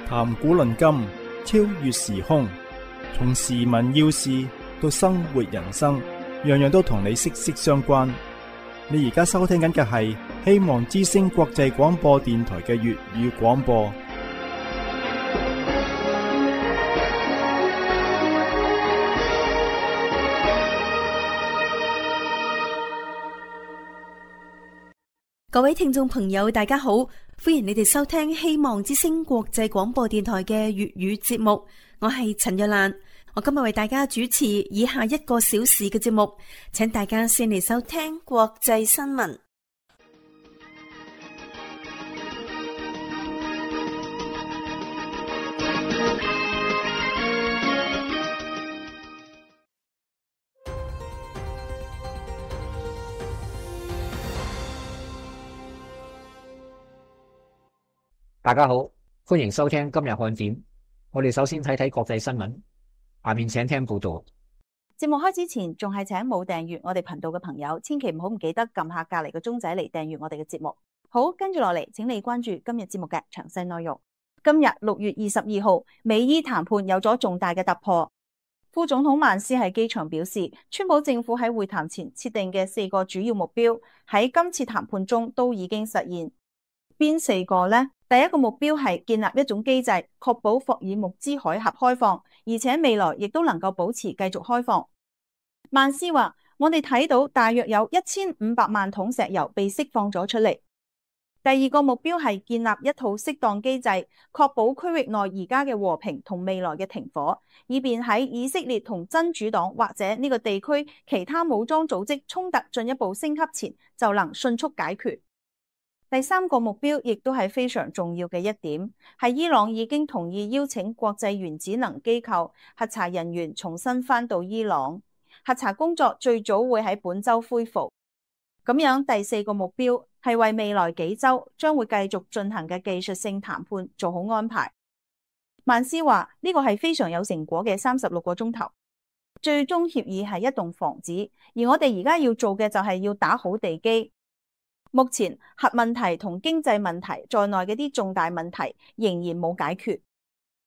談古論今，超越時空，從時聞要事到生活人生，樣樣都同你息息相關。你而家收聽緊嘅係希望之聲國際廣播電台嘅粵語廣播。各位聽眾朋友，大家好，歡迎你哋收聽希望之聲國際廣播電台嘅粵語節目。我係陳若蘭，我今日為大家主持以下1個小時嘅節目，請大家先嚟收聽國際新聞。大家好，歡迎收聽今日看點。我哋首先睇睇國際新聞，下面請聽報道。節目開始前，仲係請冇訂閱我哋頻道嘅朋友，千祈唔記得撳下隔籬個鐘仔嚟訂閱我哋嘅節目。好，跟住落嚟，請你關注今日節目嘅詳細內容。今日6月22號，美伊談判有咗重大嘅突破。副總統曼斯喺機場表示，川普政府喺會談前設定嘅4個主要目標，喺今次談判中都已經實現。邊4個呢？第一個目標係建立一種機制，確保霍爾木茲海峽開放，而且未來亦都能夠保持繼續開放。曼斯話：我哋睇到大約有1500萬桶石油被釋放咗出嚟。第二個目標係建立一套適當機制，確保區域內而家嘅和平同未來嘅停火，以便喺以色列同真主黨或者呢個地區其他武裝組織衝突進一步升級前，就能迅速解決。第三個目標亦都係非常重要嘅一點，係伊朗已經同意邀請國際原子能機構核查人員重新返到伊朗，核查工作最早會喺本週恢復。咁樣第4個目標係為未來幾週將會繼續進行嘅技術性談判做好安排。曼斯話呢個係非常有成果嘅36個鐘頭，最終協議係一棟房子，而我哋而家要做嘅就係要打好地基。目前核問題同經濟問題在內嘅啲重大問題仍然冇解決。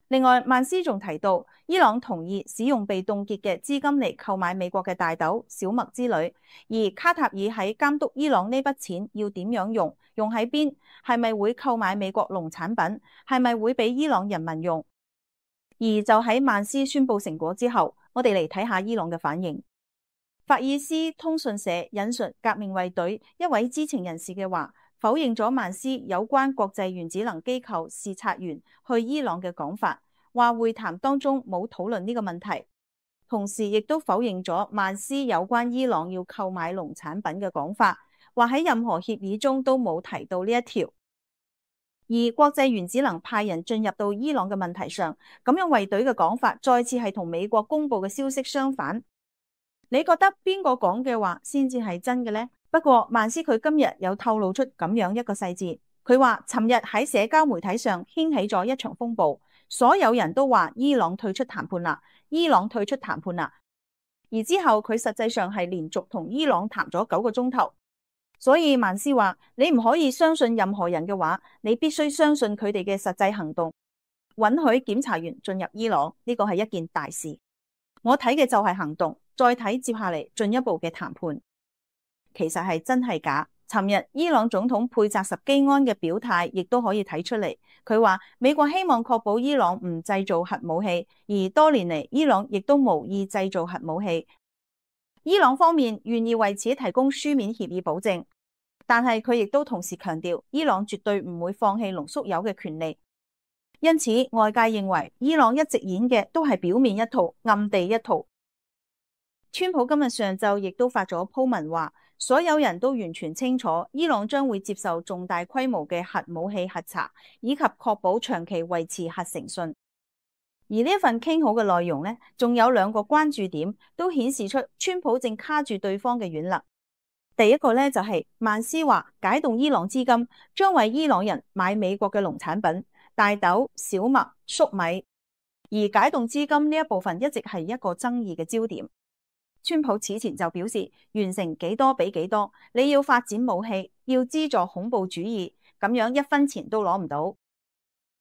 另外，曼斯仲提到，伊朗同意使用被凍結嘅資金嚟購買美國嘅大豆、小麥之類，而卡塔爾喺監督伊朗呢筆錢要點樣用，用喺邊，係咪會購買美國農產品，係咪會俾伊朗人民用。而就喺曼斯宣布成果之後，我哋嚟睇下伊朗嘅反應。法爾斯通訊社引述革命衛隊一位知情人士嘅話，否認咗曼斯有關國際原子能機構視察員去伊朗嘅講法，話會談當中冇討論呢個問題，同時亦都否認咗曼斯有關伊朗要購買農產品嘅講法，話喺任何協議中都冇提到呢一條。而國際原子能派人進入到伊朗嘅問題上，咁樣衛隊嘅講法再次係同美國公布嘅消息相反。你覺得邊個講嘅話先至係真嘅呢？不過曼斯佢今日有透露出咁樣一個細節，佢話尋日喺社交媒體上掀起咗一場風暴，所有人都話伊朗退出談判啦，伊朗退出談判啦。而之後佢實際上係連續同伊朗談咗9個鐘頭，所以曼斯話你唔可以相信任何人嘅話，你必須相信佢哋嘅實際行動。允許檢查員進入伊朗，呢個係一件大事。我睇嘅就係行動。再睇接下嚟進一步嘅談判，其實係真係假？尋日伊朗總統佩扎什基安嘅表態亦都可以睇出嚟。佢話美國希望確保伊朗唔製造核武器，而多年嚟伊朗亦都無意製造核武器。伊朗方面願意為此提供書面協議保證，但係佢亦都同時強調伊朗絕對唔會放棄濃縮鈾嘅權利。因此外界認為伊朗一直演嘅都係表面一套，暗地一套。川普今日上晝亦都發咗鋪文話，所有人都完全清楚伊朗將會接受重大規模嘅核武器核查，以及確保長期維持核誠信。而呢一份傾好嘅內容呢，仲有2個關注點，都顯示出川普正卡住對方嘅軟肋。第一個呢，就係曼斯話解凍伊朗資金，將為伊朗人買美國嘅農產品，大豆、小麥、粟米。而解凍資金呢一部分一直係一個爭議嘅焦點。川普此前就表示，完成幾多俾幾多，你要發展武器，要資助恐怖主義，咁樣1分錢都攞唔到。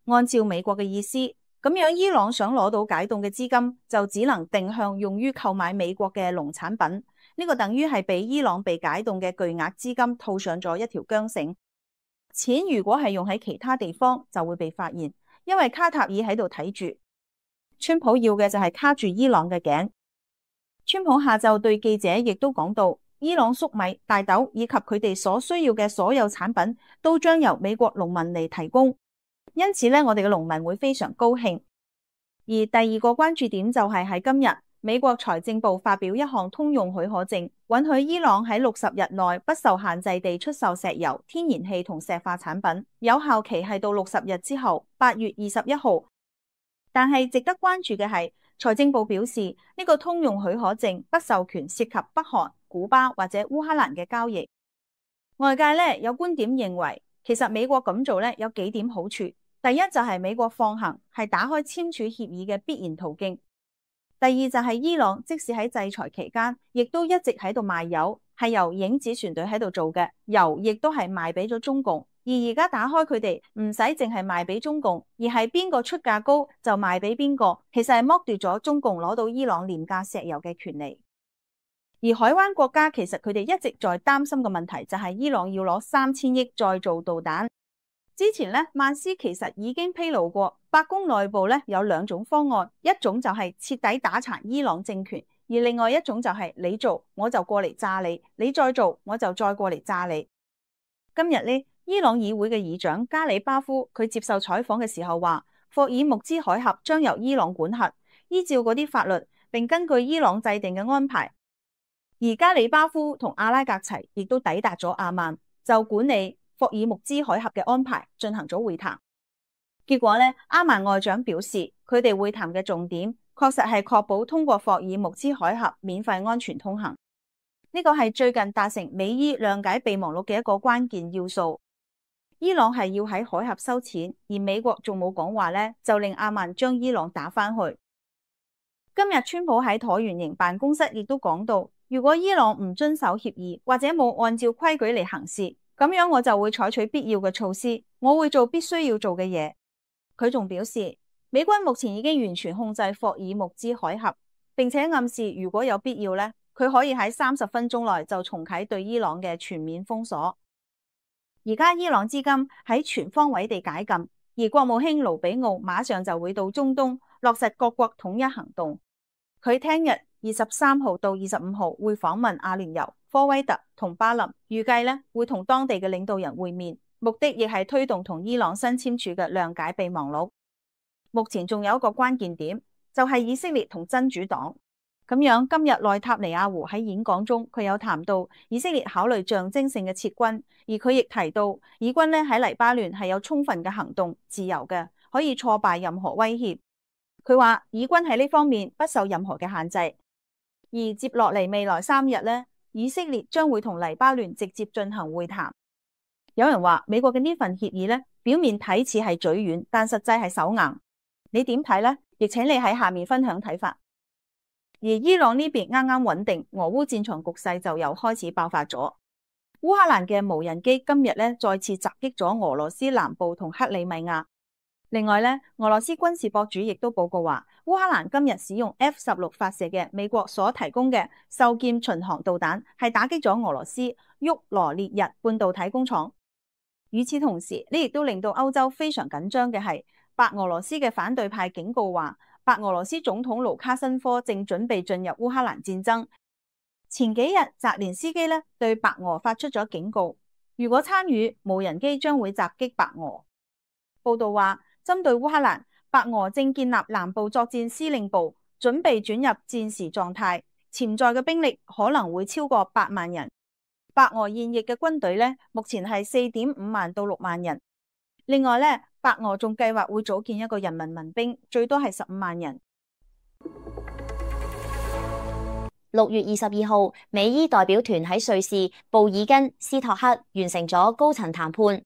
按照美國嘅意思，咁樣伊朗想攞到解凍嘅資金，就只能定向用於購買美國嘅農產品。呢個等於係俾伊朗被解凍嘅巨額資金套上咗一條韁繩。錢如果係用喺其他地方，就會被發現，因為卡塔爾喺度睇住。川普要嘅就係卡住伊朗嘅頸。川普下晝對記者亦都講到，伊朗粟米、大豆以及佢哋所需要嘅所有產品都將由美國農民嚟提供，因此呢，我哋嘅農民會非常高興。而第二個關注點就係喺今日，美國財政部發表一項通用許可證，允許伊朗喺60日內不受限制地出售石油、天然氣同石化產品，有效期係到60日之後8月21號。但係值得關注嘅係，財政部表示呢個通用許可證不授權涉及北韓、古巴或者烏克蘭嘅交易。外界呢有觀點認為，其實美國咁做呢有幾點好處。第一就係美國放行係打開簽署協議嘅必然途徑。第二就係伊朗即使喺制裁期間，亦都一直喺度賣油，係由影子船隊喺度做嘅，油亦都係賣俾咗中共。而而家打開佢哋唔使淨係賣俾中共，而係邊個出價高就賣俾邊個，其實係剝奪咗中共攞到伊朗廉價石油嘅權利。而海灣國家其實佢哋一直在擔心嘅問題就係伊朗要攞3000億再造導彈。之前呢，曼斯其實已經披露過，白宮內部呢有2種方案，一種就係徹底打殘伊朗政權，而另外一種就係你做我就過嚟炸你，你再做我就再過嚟炸你。今日呢，伊朗議會嘅議長加里巴夫佢接受採訪嘅時候話，霍爾木茲海峽將由伊朗管轄，依照嗰啲法律，並根據伊朗制定嘅安排。而加里巴夫同阿拉格齊亦都抵達咗阿曼，就管理霍爾木茲海峽嘅安排進行咗會談。結果呢，阿曼外長表示，佢哋會談嘅重點確實係確保通過霍爾木茲海峽免費安全通行。呢個係最近達成美伊諒解備忘錄嘅一個關鍵要素。伊朗係要喺海峽收錢，而美國仲冇講話呢，就令阿曼將伊朗打返去。今日川普喺橢圓形辦公室亦都講到，如果伊朗唔遵守協議或者冇按照規矩嚟行事，咁樣我就會採取必要嘅措施，我會做必須要做嘅嘢。佢仲表示，美軍目前已經完全控制霍爾木茲海峽，並且暗示如果有必要呢，佢可以喺30分鐘內就重啟對伊朗嘅全面封鎖。而家伊朗資金喺全方位地解禁，而國務卿盧比奧馬上就會到中東落實各國統一行動。佢聽日23號到25號會訪問阿聯酋、科威特同巴林，預計呢會同當地嘅領導人會面，目的亦係推動同伊朗新簽署嘅諒解備忘錄。目前仲有一個關鍵點，就係以色列同真主黨。咁樣今日內塔尼亞胡喺演講中，佢有談到以色列考慮象徵性嘅撤軍，而佢亦提到以軍呢喺黎巴嫩係有充分嘅行動自由嘅，可以挫敗任何威脅。佢話以軍喺呢方面不受任何嘅限制。而接落嚟未來3日呢，以色列將會同黎巴嫩直接進行會談。有人話美國嘅呢份協議呢，表面睇似係嘴軟，但實際係手硬。你點睇呢？亦請你喺下面分享睇法。而伊朗呢邊啱啱穩定，俄烏戰場局勢就又開始爆發咗。烏克蘭嘅無人機今日呢再次襲擊咗俄羅斯南部同克里米亞。另外呢，俄羅斯軍事博主亦都報告話，烏克蘭今日使用 F-16發射嘅美國所提供嘅獸劍巡航導彈，係打擊咗俄羅斯沃羅涅日半導體工廠。與此同時，呢亦都令到歐洲非常緊張嘅係，白俄羅斯嘅反對派警告話，白俄羅斯總統盧卡申科正準備進入烏克蘭戰爭。前幾日澤連斯基呢對白俄發出咗警告，如果參與，無人機將會襲擊白俄。報道話，針對烏克蘭，白俄正建立南部作戰司令部，準備轉入戰時狀態，潛在嘅兵力可能會超過8萬人。白俄現役嘅軍隊呢，目前係4.5萬到6萬人。另外呢，白俄仲計劃會組建一個人民民兵，最多係15萬人。6月22號，美伊代表團喺瑞士布爾根斯托克完成咗高層談判。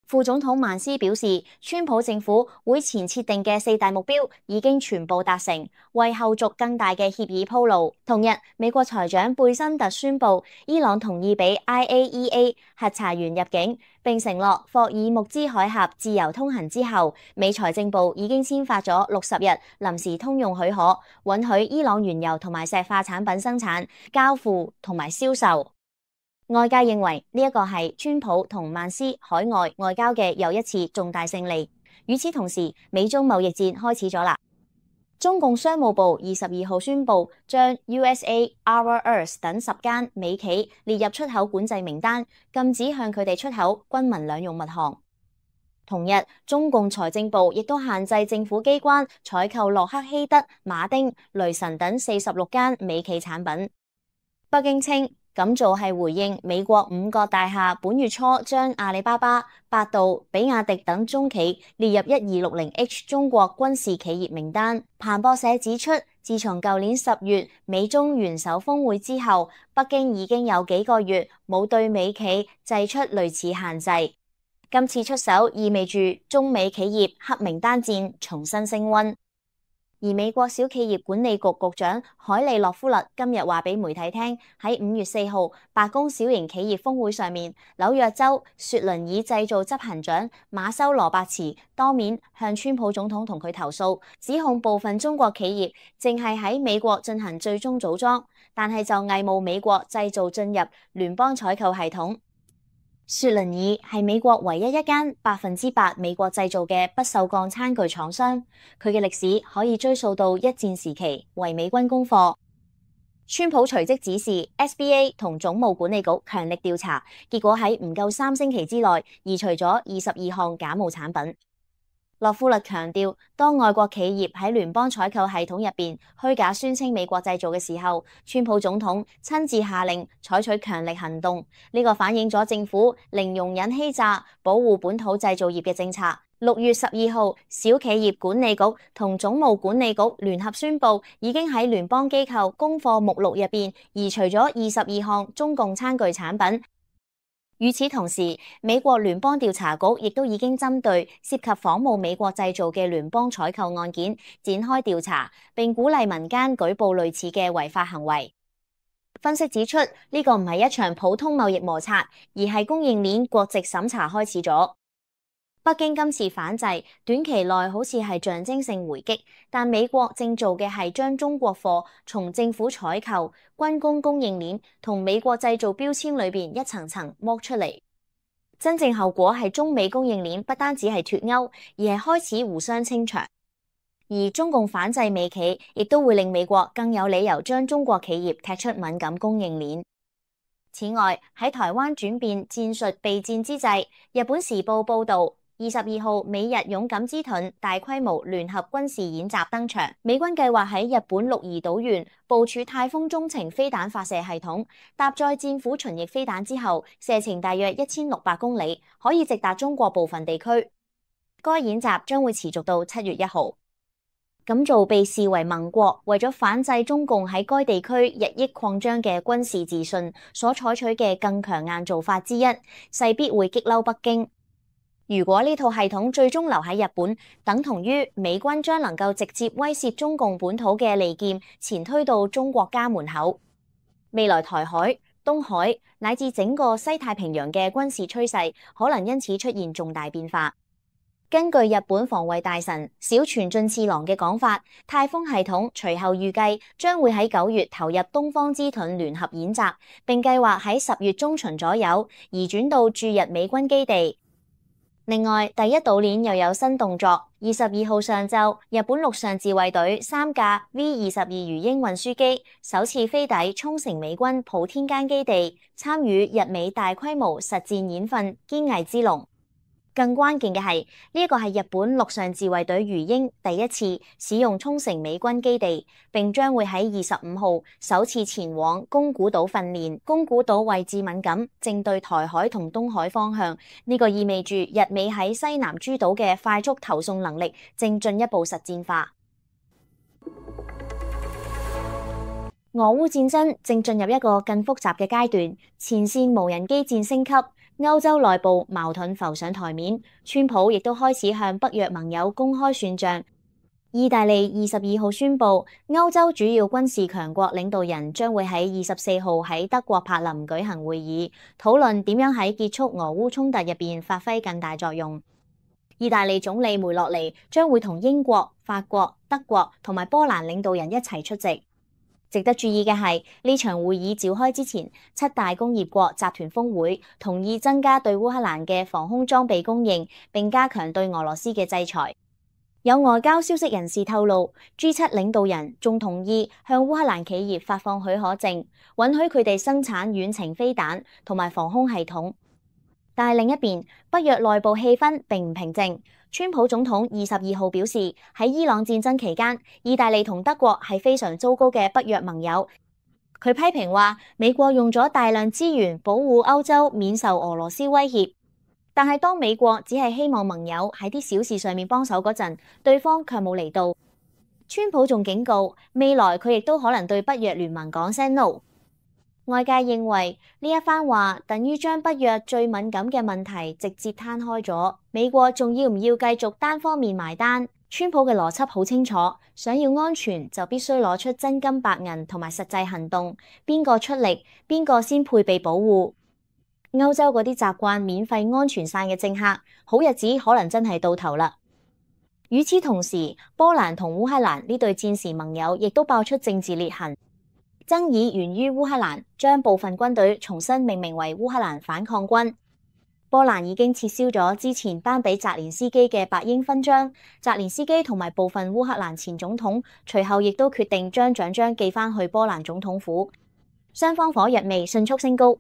副總統曼斯表示，川普政府會前設定嘅4大目標已經全部達成，為後續更大嘅協議鋪路。同日，美國財長貝辛特宣布，伊朗同意俾 IAEA 核查員入境，並承諾霍爾木茲海峽自由通行之後，美財政部已經簽發咗60日臨時通用許可，允許伊朗原油同埋石化產品生產、交付同埋銷售。外界認為呢一個係川普同曼斯海外外交嘅又一次重大勝利。與此同時，美中貿易戰開始咗啦。中共商務部22號宣布，將 USA、Our Earth 等10間美企列入出口管制名單，禁止向佢哋出口軍民兩用物項。同日，中共財政部亦都限制政府機關採購洛克希德、馬丁、雷神等46間美企產品。北京稱，咁做係回應美國5個大廈本月初將阿里巴巴、百度、比亞迪等中企列入1260H 中國軍事企業名單。彭博社指出，自從舊年10月美中元首峰會之後，北京已經有幾個月冇對美企祭出類似限制。今次出手意味住中美企業黑名單戰重新升溫。而美國小企業管理局局長海利洛夫勒今日話俾媒體聽，喺5月4號白宮小型企業峰會上面，紐約州雪倫爾製造執行長馬修羅伯茨當面向川普總統同佢投訴，指控部分中國企業淨係喺美國進行最終組裝，但係就偽冒美國製造進入聯邦採購系統。雪倫爾係美國唯一一間100%美國製造嘅不鏽鋼餐具廠商，佢嘅歷史可以追溯到一戰時期，為美軍供貨。川普隨即指示 SBA 同總務管理局強力調查，結果喺唔夠3星期之內移除咗22項假冒產品。洛夫勒強調，當外國企業喺聯邦採購系統入邊虛假宣稱美國製造嘅時候，川普總統親自下令採取強力行動。呢個反映咗政府零容忍欺詐、保護本土製造業嘅政策。6月12號，小企業管理局同總務管理局聯合宣布，已經喺聯邦機構供貨目錄入邊移除咗22項中共餐具產品。與此同時，美國聯邦調查局亦都已經針對涉及仿冒美國製造嘅聯邦採購案件展開調查，並鼓勵民間舉報類似嘅違法行為。分析指出，呢個唔係一場普通貿易摩擦，而係供應鏈國籍審查開始咗。北京今次反制，短期內好似係象徵性回擊，但美國正做嘅係將中國貨從政府採購、軍工供應鏈同美國製造標籤裏邊一層層剝出嚟。真正後果係中美供應鏈不單止係脫鈎，而係開始互相清場。而中共反制美企，亦都會令美國更有理由將中國企業踢出敏感供應鏈。此外，喺台灣轉變戰術備戰之際，日本時報報導，22號美日勇敢之盾大規模聯合軍事演習登場，美軍計劃喺日本鹿兒島縣部署太空中程飛彈發射系統，搭載戰斧巡弋飛彈之後，射程大約1600公里，可以直達中國部分地區。該演習將會持續到7月1號。咁做被視為盟國為咗反制中共喺該地區日益擴張嘅軍事自信所採取嘅更強硬做法之一，勢必會激嬲北京。如果呢套系統最終留喺日本，等同於美軍將能夠直接威懾中共本土嘅利劍前推到中國家門口。未來台海、東海乃至整個西太平洋嘅軍事趨勢可能因此出現重大變化。根據日本防衛大臣小泉進次郎嘅講法，太空系統隨後預計將會喺9月投入東方之盾聯合演習，並計劃喺10月中旬左右移轉到駐日美軍基地。另外，第一島鏈又有新動作。22號上晝，日本陸上自衛隊3架 V-22魚鷹運輸機首次飛抵沖繩美軍普天間基地，參與日美大規模實戰演訓堅毅之龍。更關鍵嘅係，呢一個係日本陸上自衛隊魚鷹第一次使用沖繩美軍基地，並將會喺25號首次前往宮古島訓練。宮古島位置敏感，正對台海同東海方向，呢個意味住日美喺西南諸島嘅快速投送能力正進一步實戰化。俄烏戰爭正進入一個更複雜嘅階段，前線無人機戰升級，歐洲內部矛盾浮上台面，川普亦都開始向北約盟友公開算賬。意大利22號宣布，歐洲主要軍事強國領導人將會喺24號喺德國柏林舉行會議，討論點樣喺結束俄烏衝突入邊發揮更大作用。意大利總理梅洛尼將會同英國、法國、德國同埋波蘭領導人一齊出席。值得注意嘅係，呢場會議召開之前，7大工業國集團峰會同意增加對烏克蘭嘅防空裝備供應，並加強對俄羅斯嘅制裁。有外交消息人士透露，G7 領導人仲同意向烏克蘭企業發放許可證，允許佢哋生產遠程飛彈同埋防空系統。但係另一邊，北約內部氣氛並唔平靜。川普總統22號表示，喺伊朗戰爭期間，意大利同德國係非常糟糕嘅北約盟友。佢批評話，美國用咗大量資源保護歐洲免受俄羅斯威脅，但係當美國只係希望盟友喺啲小事上面幫手嗰陣，對方卻冇嚟到。川普仲警告，未來佢亦都可能對北約聯盟講聲 no。外界認為呢一番話等於將北約最敏感嘅問題直接攤開咗，美國仲要唔要繼續單方面埋單？川普嘅邏輯好清楚，想要安全就必須攞出真金白銀同埋實際行動，邊個出力，邊個先配備保護。歐洲嗰啲習慣免費安全傘嘅政客，好日子可能真係到頭啦。與此同時，波蘭同烏克蘭呢對戰時盟友亦都爆出政治裂痕。爭議源於烏克蘭將部分軍隊重新命名為烏克蘭反抗軍。波蘭已經撤銷咗之前頒俾澤連斯基嘅白鷹勳章，澤連斯基同埋部分烏克蘭前總統隨後亦都決定將獎章寄返去波蘭總統府。雙方火藥味迅速升高。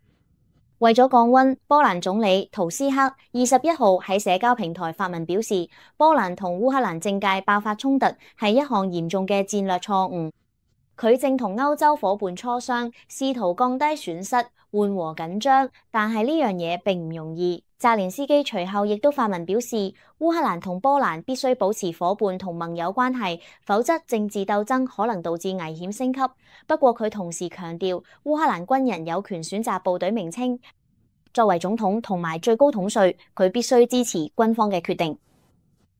為咗降溫，波蘭總理圖斯克21號喺社交平台發文表示，波蘭同烏克蘭政界爆發衝突係一項嚴重嘅戰略錯誤。佢正同歐洲夥伴磋商，試圖降低損失、緩和緊張，但係呢樣嘢並唔容易。澤連斯基隨後亦都發文表示，烏克蘭同波蘭必須保持夥伴同盟友關係，否則政治鬥爭可能導致危險升級。不過佢同時強調，烏克蘭軍人有權選擇部隊名稱。作為總統同埋最高統帥，佢必須支持軍方嘅決定。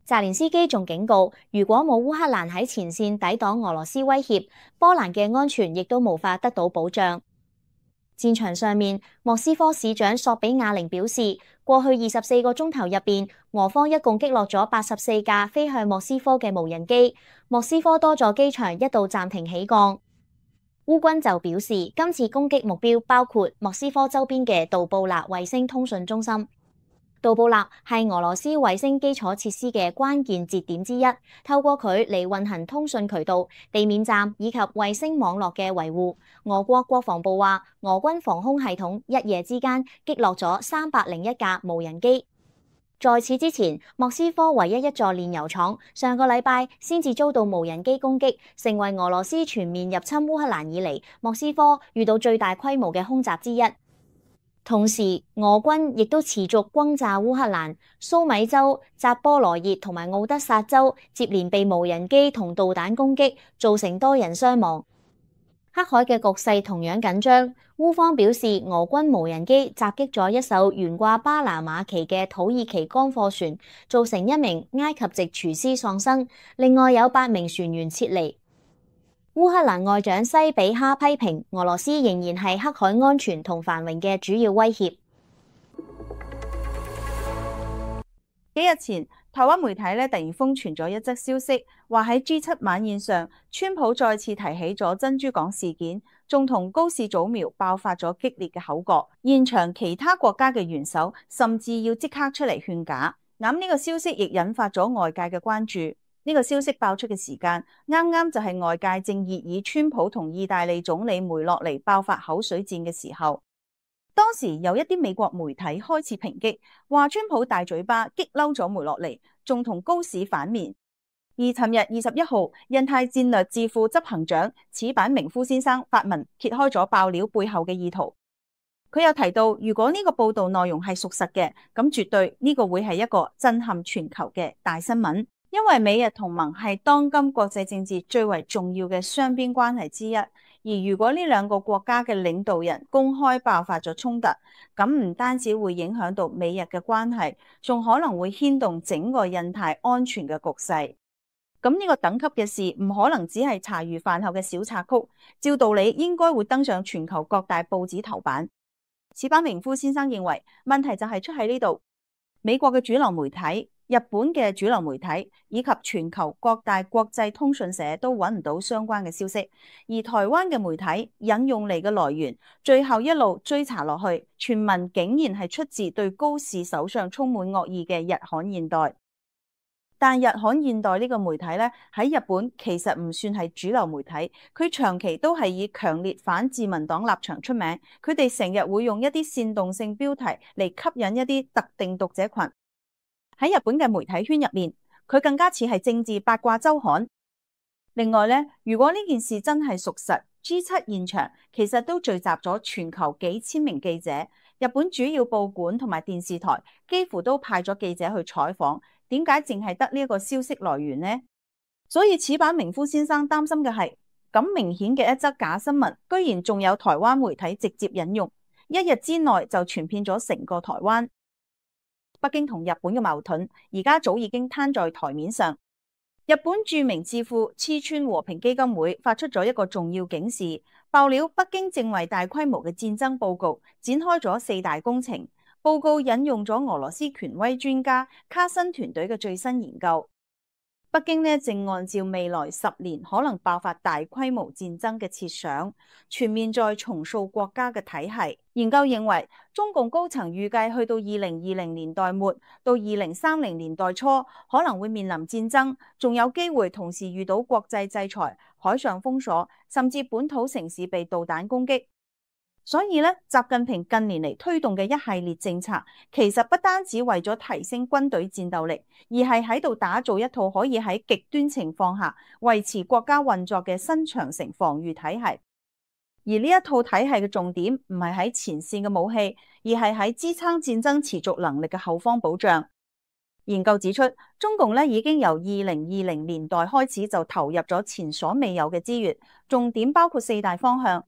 澤連斯基仲警告，如果冇烏克蘭喺前線抵擋俄羅斯威脅，波蘭嘅安全亦都無法得到保障。戰場上面，莫斯科市長索比亞寧表示，過去24個鐘頭入邊，俄方一共擊落咗84架飛向莫斯科嘅無人機，莫斯科多座機場一度暫停起降。烏軍就表示，今次攻擊目標包括莫斯科周邊嘅杜布納衛星通訊中心。杜布納係俄羅斯衛星基礎設施嘅關鍵節點之一，透過佢嚟運行通訊渠道、地面站以及衛星網絡嘅維護。俄國國防部話，俄軍防空系統一夜之間擊落咗301架無人機。在此之前，莫斯科唯一一座煉油廠上個禮拜先至遭到無人機攻擊，成為俄羅斯全面入侵烏克蘭以嚟莫斯科遇到最大規模嘅空襲之一。同時，俄軍亦都持續轟炸烏克蘭，蘇米州、扎波羅熱同埋奧德薩州接連被無人機同導彈攻擊，造成多人傷亡。黑海嘅局勢同樣緊張，烏方表示俄軍無人機襲擊咗一艘懸掛巴拿馬旗嘅土耳其乾貨船，造成1名埃及籍廚師喪生，另外有8名船員撤離。烏克蘭外長西比哈批評俄羅斯仍然係黑海安全同繁榮嘅主要威脅。幾日前，台灣媒體突然瘋傳咗一則消息，話喺 G7 晚宴上，川普再次提起咗珍珠港事件，仲同高市早苗爆發咗激烈嘅口角。現場其他國家嘅元首甚至要即刻出嚟勸架。咁呢個消息亦引發咗外界嘅關注。呢個消息爆出嘅時間，啱啱就係外界正熱議川普同意大利總理梅洛尼爆發口水戰嘅時候。當時有一啲美國媒體開始抨擊，話川普大嘴巴激嬲咗梅洛尼，仲同高市反面。而尋日21號，印太戰略智庫執行長矢板明夫先生發文揭開咗爆料背後嘅意圖。佢又提到，如果呢個報道內容係屬實嘅，咁絕對呢個會係一個震撼全球嘅大新聞。因為美日同盟係當今國際政治最為重要嘅雙邊關係之一，而而如果呢兩個國家嘅領導人公開爆發咗衝突，咁唔單止會影響到美日嘅關係，仲可能會牽動整個印太安全嘅局勢。咁呢個等級嘅事唔可能只係茶餘飯後嘅小插曲，照道理應該會登上全球各大報紙頭版。矢板明夫先生認為問題就係出喺呢度，美國嘅主流媒體、日本嘅主流媒體以及全球各大國際通訊社都揾唔到相關嘅消息，而台灣嘅媒體引用嚟嘅來源，最後一路追查落去，傳聞竟然係出自對高市手上充滿惡意嘅日刊現代。但日刊現代呢個媒體咧，喺日本其實唔算係主流媒體，佢長期都係以強烈反自民黨立場出名，佢哋成日會用一啲煽動性標題嚟吸引一啲特定讀者群。喺日本嘅媒體圈入面，佢更加似係政治八卦週刊。另外咧，如果呢件事真係屬實， G7 現場其實都聚集咗全球幾千名記者，日本主要報館同埋電視台幾乎都派咗記者去採訪。點解淨係得呢一個消息來源呢？所以矢板明夫先生擔心嘅係咁明顯嘅一則假新聞，居然仲有台灣媒體直接引用，一日之內就傳遍咗成個台灣。北京同日本嘅矛盾而家早已經攤在台面上。日本著名智庫黐川和平基金會發出咗一個重要警示，爆料北京正為大規模嘅戰爭報告展開咗4大工程。報告引用咗俄羅斯權威專家卡申團隊嘅最新研究。北京呢正按照未來10年可能爆發大規模戰爭嘅設想，全面再重塑國家嘅體系。研究認為，中共高層預計去到2020年代末到2030年代初，可能會面臨戰爭，仲有機會同時遇到國際制裁、海上封鎖，甚至本土城市被導彈攻擊。所以咧，習近平近年嚟推動嘅一系列政策，其實不單止為咗提升軍隊戰鬥力，而係喺度打造一套可以喺極端情況下維持國家運作嘅新長城防禦體系。而呢一套體系嘅重點唔係喺前線嘅武器，而係喺支撐戰爭持續能力嘅後方保障。研究指出，中共咧已經由2020年代開始就投入咗前所未有嘅資源，重點包括4大方向。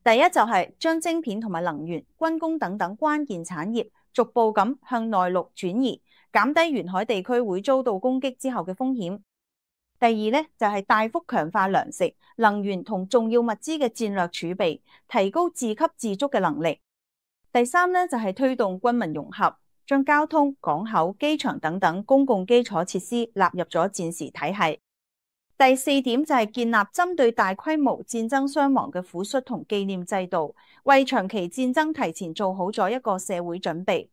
第一就係將晶片同埋能源、軍工等等關鍵產業逐步咁向內陸轉移，減低沿海地區會遭到攻擊之後嘅風險。第二咧就係大幅強化糧食、能源同重要物資嘅戰略儲備，提高自給自足嘅能力。第三咧就係推動軍民融合，將交通、港口、機場等等公共基礎設施納入咗戰時體系。第4點就係建立針對大規模戰爭傷亡嘅撫恤同紀念制度，為長期戰爭提前做好咗一個社會準備。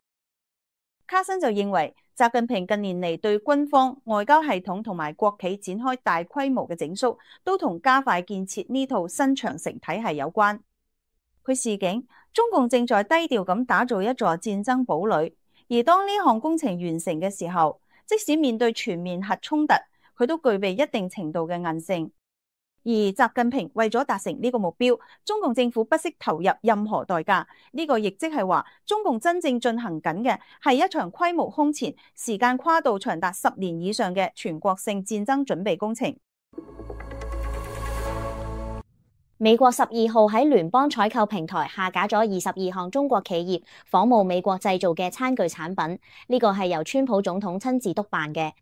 卡申就認為，習近平近年嚟對軍方、外交系統同埋國企展開大規模嘅整肅，都同加快建設呢套新長城體系有關。佢示警，中共正在低調咁打造一座戰爭堡壘，而當呢項工程完成嘅時候，即使面對全面核衝突，佢都具備一定程度嘅韌性。而習近平為咗達成呢個目標，中共政府不惜投入任何代價。呢個亦即係話，中共真正進行緊嘅係一場規模空前、時間跨度長達10年以上嘅全國性戰爭準備工程。美國12號喺聯邦採購平台下架咗22項中國企業仿冒美國製造嘅餐具產品，呢個係由川普總統親自督辦嘅。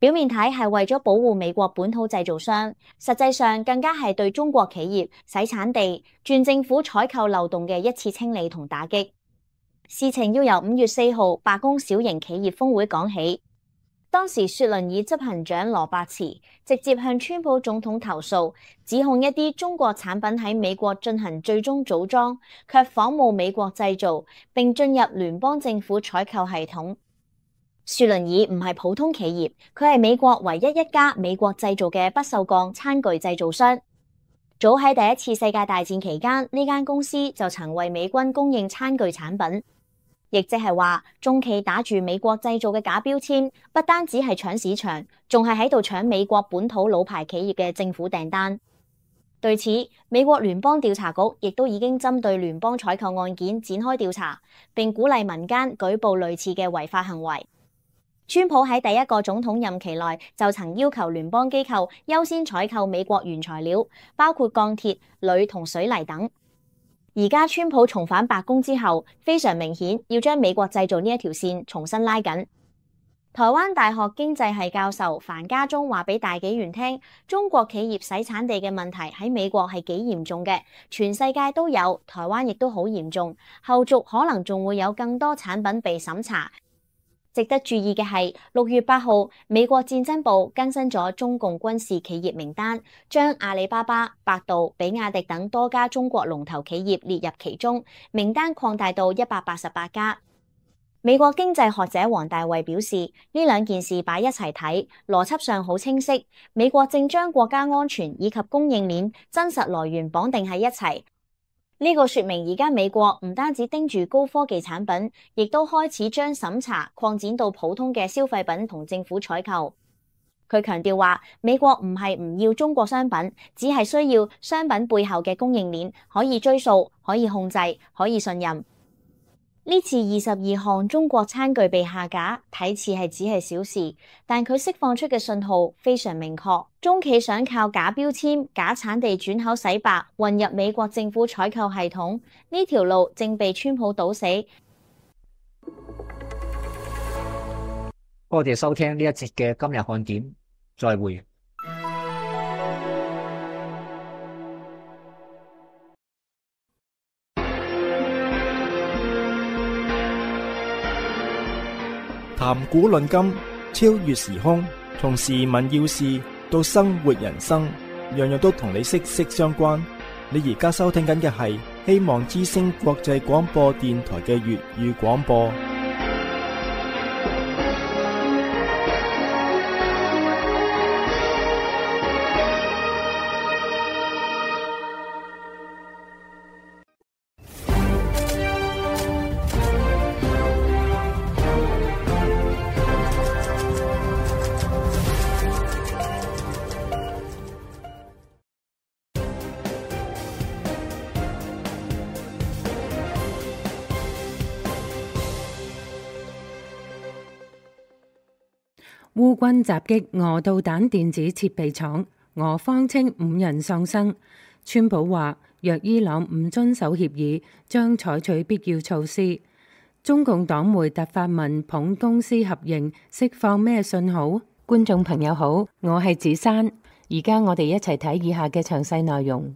表面睇係為咗保護美國本土製造商，實際上更加係對中國企業洗產地、轉政府採購漏洞嘅一次清理同打擊。事情要由5月4號罷工小型企業峰會講起。當時雪倫爾執行長羅伯茨直接向川普總統投訴，指控一啲中國產品喺美國進行最終組裝，卻仿冒美國製造，並進入聯邦政府採購系統。雪倫爾唔係普通企業，佢係美國唯一一家美國製造嘅不鏽鋼餐具製造商。早喺第一次世界大戰期間，呢間公司就曾為美軍供應餐具產品，亦即係話中企打住美國製造嘅假標籤，不單止係搶市場，仲係喺度搶美國本土老牌企業嘅政府訂單。對此，美國聯邦調查局亦都已經針對聯邦採購案件展開調查，並鼓勵民間舉報類似嘅違法行為。川普喺第一個總統任期內就曾要求聯邦機構優先採購美國原材料，包括鋼鐵、鋁同水泥等。而家川普重返白宮之後，非常明顯要將美國製造呢一條線重新拉緊。台灣大學經濟系教授樊家忠話俾大紀元聽，中國企業洗產地嘅問題喺美國係幾嚴重嘅，全世界都有，台灣亦都好嚴重，後續可能仲會有更多產品被審查。值得注意嘅係，6月8號，美國戰爭部更新咗中共軍事企業名單，將阿里巴巴、百度、比亞迪等多家中國龍頭企業列入其中，名單擴大到188家。美國經濟學者黃大衛表示，呢兩件事擺一齊睇，邏輯上好清晰。美國正將國家安全以及供應鏈真實來源綁定喺一齊。呢個說明而家美國唔單止盯住高科技產品，亦都開始將審查擴展到普通嘅消費品同政府採購。佢強調話，美國唔係唔要中國商品，只係需要商品背後嘅供應鏈可以追溯、可以控制、可以信任。呢次22項中國餐具被下架，睇似係只係小事，但佢釋放出嘅信號非常明確。中企想靠假標籤、假產地轉口洗白，混入美國政府採購系統，呢條路正被川普堵死。多謝收聽呢一節嘅今日看點，再會。談古論今，超越時空，從時聞要事到生活人生，樣樣都同你息息相關。你而家收聽緊嘅係希望之聲國際廣播電台嘅粵語廣播。烏軍襲擊俄導彈電子設備廠，俄方稱5人喪生。川普話，若伊朗唔遵守協議，將採取必要措施。中共黨媒突發文捧公私合營，釋放咩信號？觀眾朋友好，我係子珊，而家我哋一齊睇以下嘅詳細內容。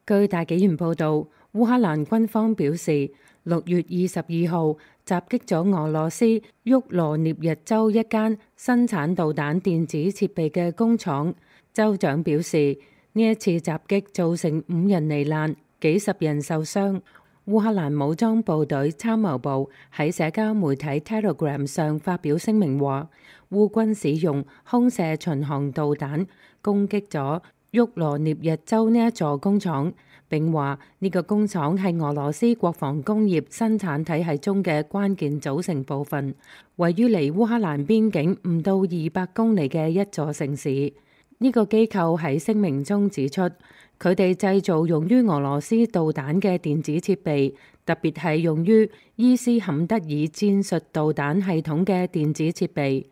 據大紀元報道，烏克蘭軍方表示，6月22號襲擊咗俄羅斯沃羅涅日州一間生產導彈電子設備嘅工廠。州長表示，呢一次襲擊造成5人罹難，幾十人受傷。烏克蘭武裝部隊參謀部喺社交媒體 Telegram 上發表聲明話，烏軍使用空射巡航導彈攻擊咗沃羅涅日州呢一座工廠，並話呢個工廠係俄羅斯國防工業生產體系中嘅關鍵組成部分，位於離烏克蘭邊境唔到200公里嘅一座城市。呢個機構喺聲明中指出，佢哋製造用於俄羅斯導彈嘅電子設備，特別係用於伊斯坎德爾戰術導彈系統嘅電子設備。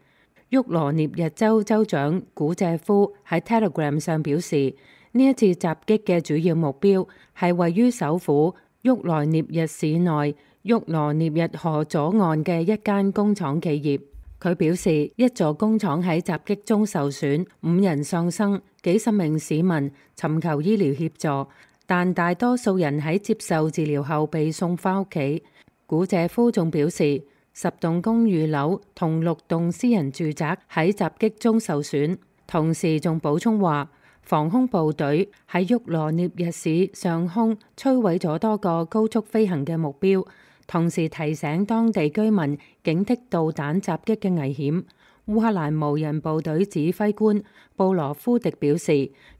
沃羅涅日州州長古謝夫喺 Telegram 上表示，呢一次襲擊嘅主要目標係位於首府沃羅涅日市內沃羅涅日河左岸嘅一間工廠企業。佢表示，一座工廠喺襲擊中受損，5人喪生，幾十名市民尋求醫療協助，但大多數人喺接受治療後被送返屋企。古謝夫仲表示，10棟公寓樓同6棟私人住宅喺襲擊中受損，同時仲補充話，防空部隊喺沃羅涅日市上空摧毀咗多個高速飛行嘅目標，同時提醒當地居民警惕導彈襲擊嘅危險。烏克蘭無人部隊指揮官布羅夫迪表示，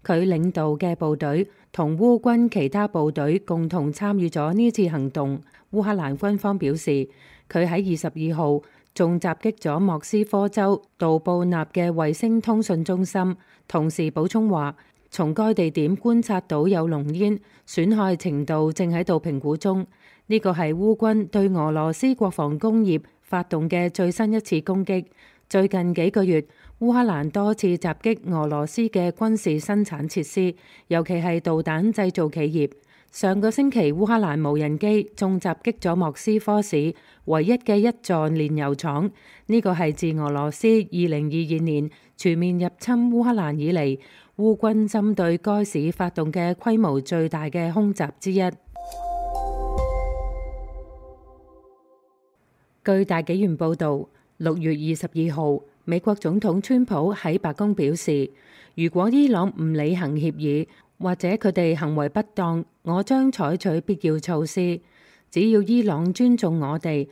佢領導嘅部隊同烏軍其他部隊共同參與咗呢次行動。烏克蘭軍方表示，佢喺22號仲襲擊咗莫斯科州杜布納嘅衛星通訊中心，同時補充話，從該地點觀察到有濃煙，損害程度正喺度評估中。呢個係烏軍對俄羅斯國防工業發動嘅最新一次攻擊。最近幾個月，烏克蘭多次襲擊俄羅斯嘅軍事生產設施，尤其係導彈製造企業。上個星期，烏克蘭無人機仲襲擊咗莫斯科市唯一嘅一座煉油廠，呢個係自俄羅斯2022年全面入侵烏克蘭以嚟，烏軍針對該市發動嘅規模最大嘅空襲之一。據大紀元報導，6月22號，美國總統川普喺白宮表示，如果伊朗唔履行協議，或者佢哋行為不當，我將採取必要措施。只要伊朗尊重我哋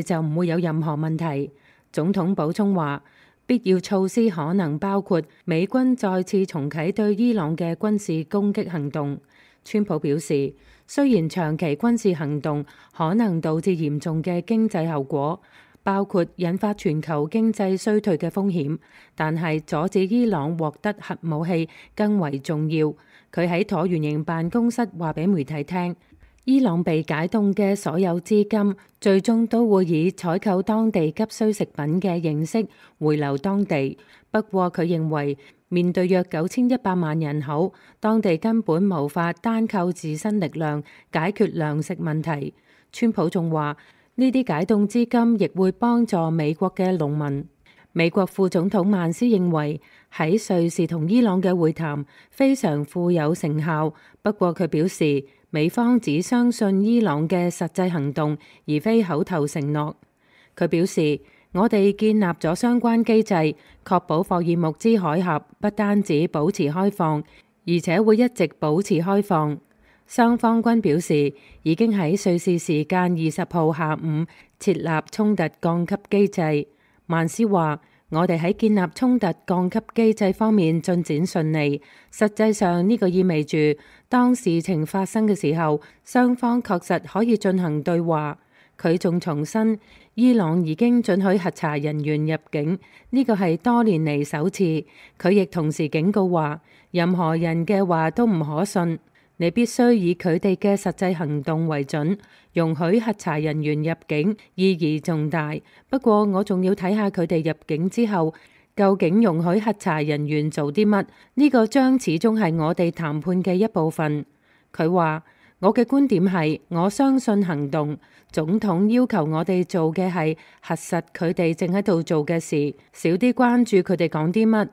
就唔會有任何問題。總統補充話，必要措施可能包括美軍再次重啟對伊朗嘅軍事攻擊行動。川普表示，雖然長期軍事行動可能導致嚴重嘅經濟後果，包括引發全球經濟衰退嘅風險，但係阻止伊朗獲得核武器更為重要。佢喺橢圓形辦公室話俾媒體聽，伊朗被解凍嘅所有資金最終都會以採購當地急需食品嘅形式回流當地。不過佢認為，面對約9100萬人口，當地根本無法單靠自身力量解決糧食問題。川普仲話，呢啲解凍資金亦會幫助美國嘅農民。美國副總統曼斯認為喺瑞士同伊朗嘅會談非常富有成效，不過佢表示美方只相信伊朗嘅實際行動，而非口頭承諾。佢表示，我哋建立咗相關機制，確保霍爾木茲海峽不單止保持開放，而且會一直保持開放。雙方均表示已經喺瑞士時間20號下午設立衝突降級機制。曼斯話，我哋喺建立衝突降級機制方面進展順利，實際上呢個意味住當事情發生嘅時候，雙方確實可以進行對話。佢仲重申，伊朗已經准許核查人員入境，呢個係多年嚟首次。佢亦同時警告話，任何人嘅話都唔可信。你必須以佢哋嘅實際行動為準，容許核查人員入境意義重大。不過我仲要睇下佢哋入境之後，究竟容許核查人員做啲乜？呢個將始終係我哋談判嘅一部分。佢話，我嘅觀點係，我相信行動。總統要求我哋做嘅係核實佢哋正喺度做嘅事，少啲關注佢哋講啲乜。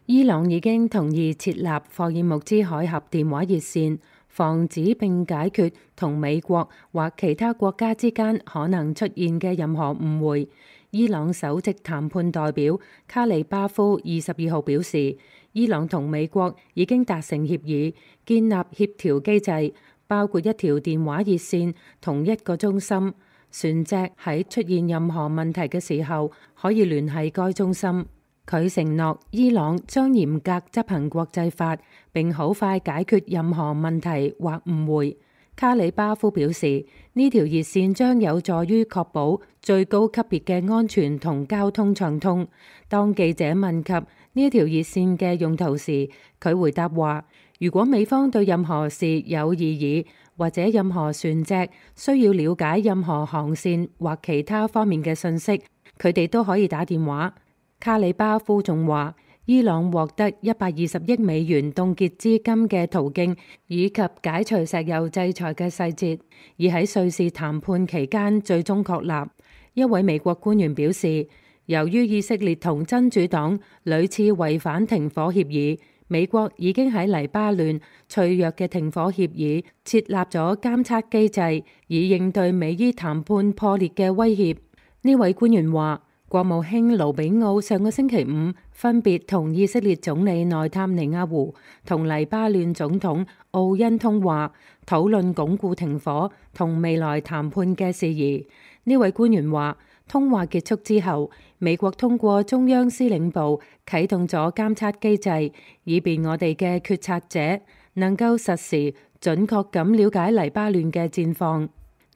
伊朗已經同意設立霍爾木茲海峽電話熱線，防止並解決同美國或其他國家之間可能出現嘅任何誤會。伊朗首席談判代表卡里巴夫22號表示，伊朗同美國已經達成協議，建立協調機制，包括一條電話熱線同一個中心，船隻喺出現任何問題嘅時候可以聯繫該中心。佢承諾伊朗將嚴格執行國際法，並好快解決任何問題或誤會。卡里巴夫表示，呢條熱線將有助於確保最高級別嘅安全同交通暢通。當記者問及呢條熱線嘅用途時，佢回答話，如果美方對任何事有異議，或者任何船隻需要了解任何航線或其他方面嘅信息，佢哋都可以打電話。卡里巴夫仲話，伊朗獲得120億美元凍結資金嘅途徑，以及解除石油制裁嘅細節，而喺瑞士談判期間最終確立。一位美國官員表示，由於以色列同真主黨屢次違反停火協議，美國已經喺黎巴嫩脆弱嘅停火協議設立咗監測機制，以應對美伊談判破裂嘅威脅。呢位官員話，國務卿盧比奧上個星期五分別同以色列總理內塔尼亞胡同黎巴嫩總統奧恩通話，討論鞏固停火同未來談判嘅事宜。呢位官員話，通話結束之後，美國通過中央司令部啟動咗監測機制，以便我哋嘅決策者能夠實時準確咁了解黎巴嫩嘅戰況。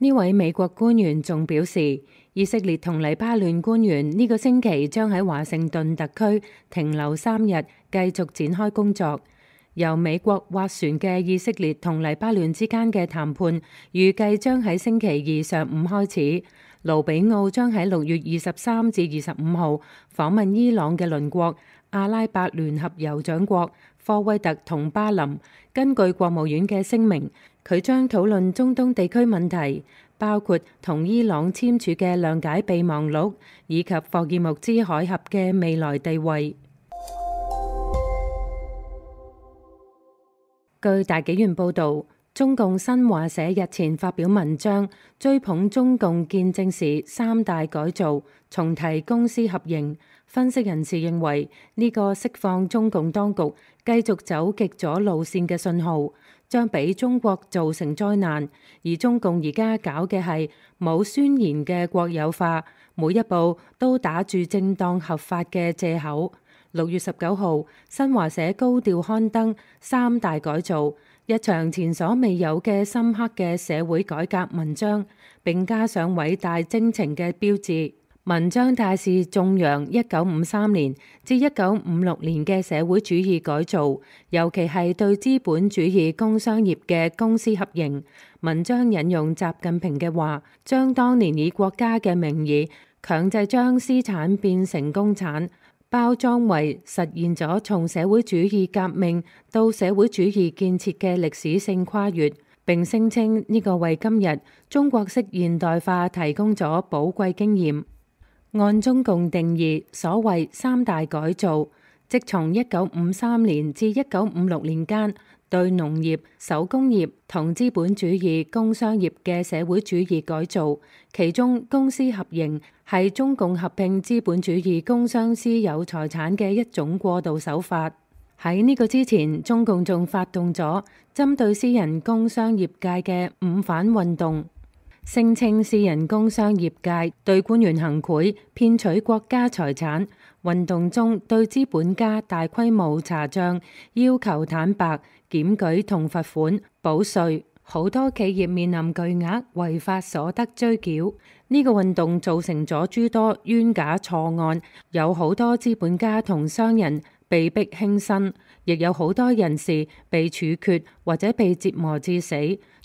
呢位美國官員仲表示，以色列同黎巴嫩官員呢個星期將喺華盛頓特區停留3日，繼續展開工作。由美國斡旋嘅以色列同黎巴嫩之間嘅談判預計將喺星期二上午開始。盧比奧將喺6月23至25號訪問伊朗嘅鄰國阿拉伯聯合酋長國科威特同巴林。根據國務院嘅聲明，佢將討論中東地區問題，包括同伊朗簽署嘅諒解備忘錄，以及霍爾木茲海峽嘅未來地位。據大紀元報導，中共新華社日前發表文章，追捧中共建政時3大改造，重提公私合營。分析人士認為，呢個釋放中共當局繼續走極左路線嘅信號，將俾中國造成災難。而中共而家搞嘅係冇宣言嘅國有化，每一步都打住正當合法嘅藉口。6月19號，新華社高調刊登3大改造，一場前所未有嘅深刻嘅社會改革文章，並加上偉大征程嘅標誌。文章大肆頌揚1953年至1956年嘅社會主義改造，尤其係對資本主義工商業嘅公私合營。文章引用習近平嘅話，將當年以國家嘅名義強制將私產變成公產，包裝為實現咗從社會主義革命到社會主義建設嘅歷史性跨越，並聲稱呢個為今日中國式現代化提供咗寶貴經驗。按中共定義，所謂3大改造，即從1953年至1956年間對農業、手工業同資本主義工商業嘅社會主義改造，其中公私合營係中共合併資本主義工商私有財產嘅一種過渡手法。喺呢個之前，中共仲發動咗針對私人工商業界嘅五反運動，聲稱私人工商業界對官員行賄、騙取國家財產。運動中對資本家大規模查帳，要求坦白、檢舉同罰款、補稅。好多企業面臨巨額違法所得追繳。呢個運動造成咗諸多冤假錯案，有好多資本家同商人被逼輕生，亦有好多人士被處決或者被折磨致死。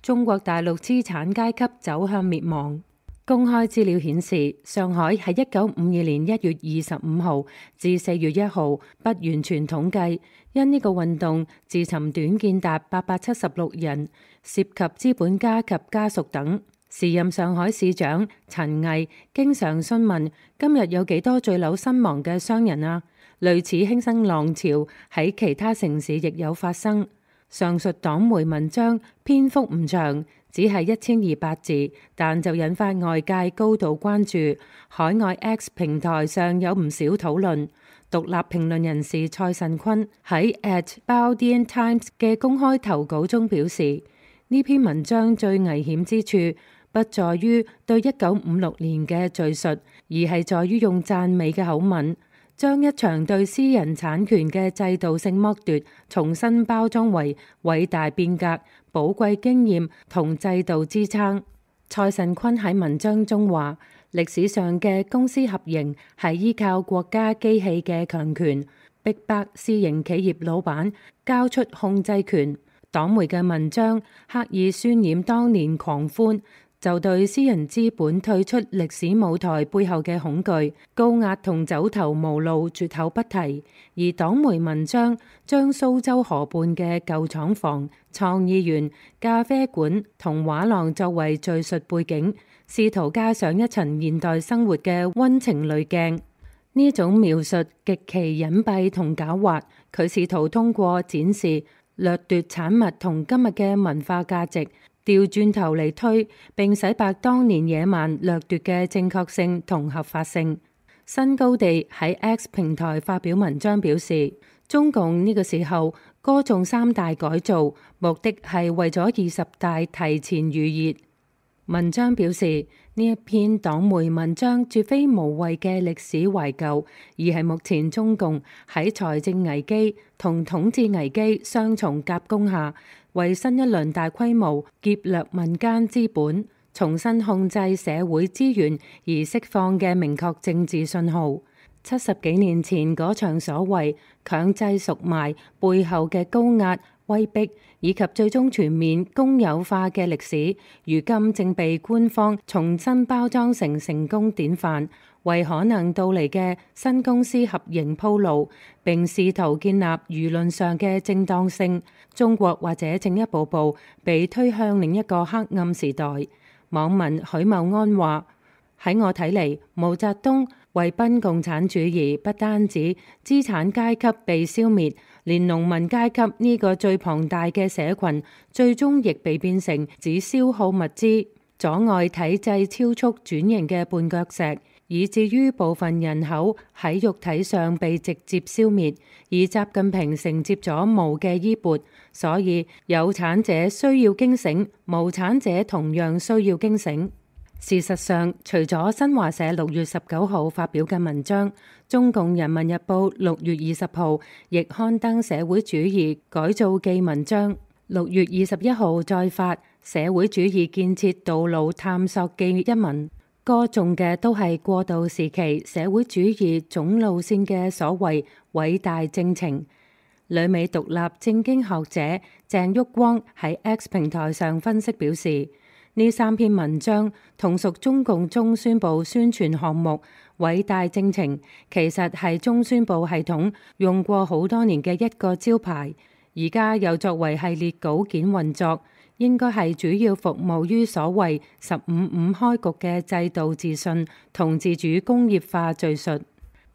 中國大陸資產階級走向滅亡。公開資料顯示，上海喺1952年1月25號至4月1號不完全統計，因呢個運動自尋短見達876人，涉及資本家及家屬等。時任上海市長陳毅經常詢問：今日有幾多墜樓身亡嘅商人啊？類似輕生浪潮喺其他城市亦有發生。上述黨媒文章篇幅唔長，只係1200字，但就引發外界高度關注。海外 X 平台上有唔少討論。獨立評論人士蔡慎坤喺 @Baodian Times 嘅公開投稿中表示，呢篇文章最危險之處不在於對1956年嘅敘述，而係在於用讚美嘅口吻，將一場對私人產權嘅制度性剝奪重新包裝為偉大變革、寶貴經驗同制度支撐。蔡慎坤喺文章中話，歷史上嘅公私合營係依靠國家機器嘅強權，逼迫私營企業老闆交出控制權。黨媒嘅文章刻意渲染當年狂歡，就對私人資本退出歷史舞台背後嘅恐懼、高壓同走投無路絕口不提。而黨媒文章將蘇州河畔嘅舊廠房、創意園、咖啡館同畫廊作為敘述背景，試圖加上一層現代生活嘅溫情濾鏡。呢種描述極其隱蔽同狡猾，佢試圖通過展示掠奪產物同今日嘅文化價值，調轉頭嚟推，並洗白當年野蠻掠奪嘅正確性同合法性。新高地喺 X 平台發表文章表示，中共呢個時候歌頌3大改造，目的係為咗20大提前預熱。文章表示，呢一篇黨媒文章絕非無謂嘅歷史懷舊，而係目前中共喺財政危機同統治危機雙重夾攻下，為新一輪大規模劫掠民間資本、重新控制社會資源而釋放嘅明確政治信號。70幾年前嗰場所謂強制贖賣背後嘅高壓、威逼以及最終全面公有化嘅歷史，如今正被官方重新包裝成成功典範，為可能到嚟嘅新公司合營鋪路，並試圖建立輿論上嘅正當性。中國或者正一步步被推向另一個黑暗時代。網民許茂安話：喺我睇嚟，毛澤東為奔共產主義，不單止資產階級被消滅，連農民階級呢個最龐大嘅社群，最終亦被變成只消耗物資、阻礙體制超速轉型嘅絆腳石，以至於部分人口喺肉體上被直接消滅，而習近平承接咗毛嘅衣缽，所以有產者需要驚醒，無產者同樣需要驚醒。事實上，除咗新華社6月19號發表嘅文章，中共人民日報6月20號亦刊登社會主義改造記文章，6月21號再發社會主義建設道路探索記一文，歌頌嘅都係過渡時期社會主義總路線嘅所謂偉大征程。旅美獨立政經學者鄭旭光喺 X 平台上分析表示，呢3篇文章同屬中共中宣部宣傳項目偉大征程，其實係中宣部系統用過好多年嘅一個招牌，而家又作為系列稿件運作，應該係主要服務於所謂15.5開局嘅制度自信同自主工業化敘述。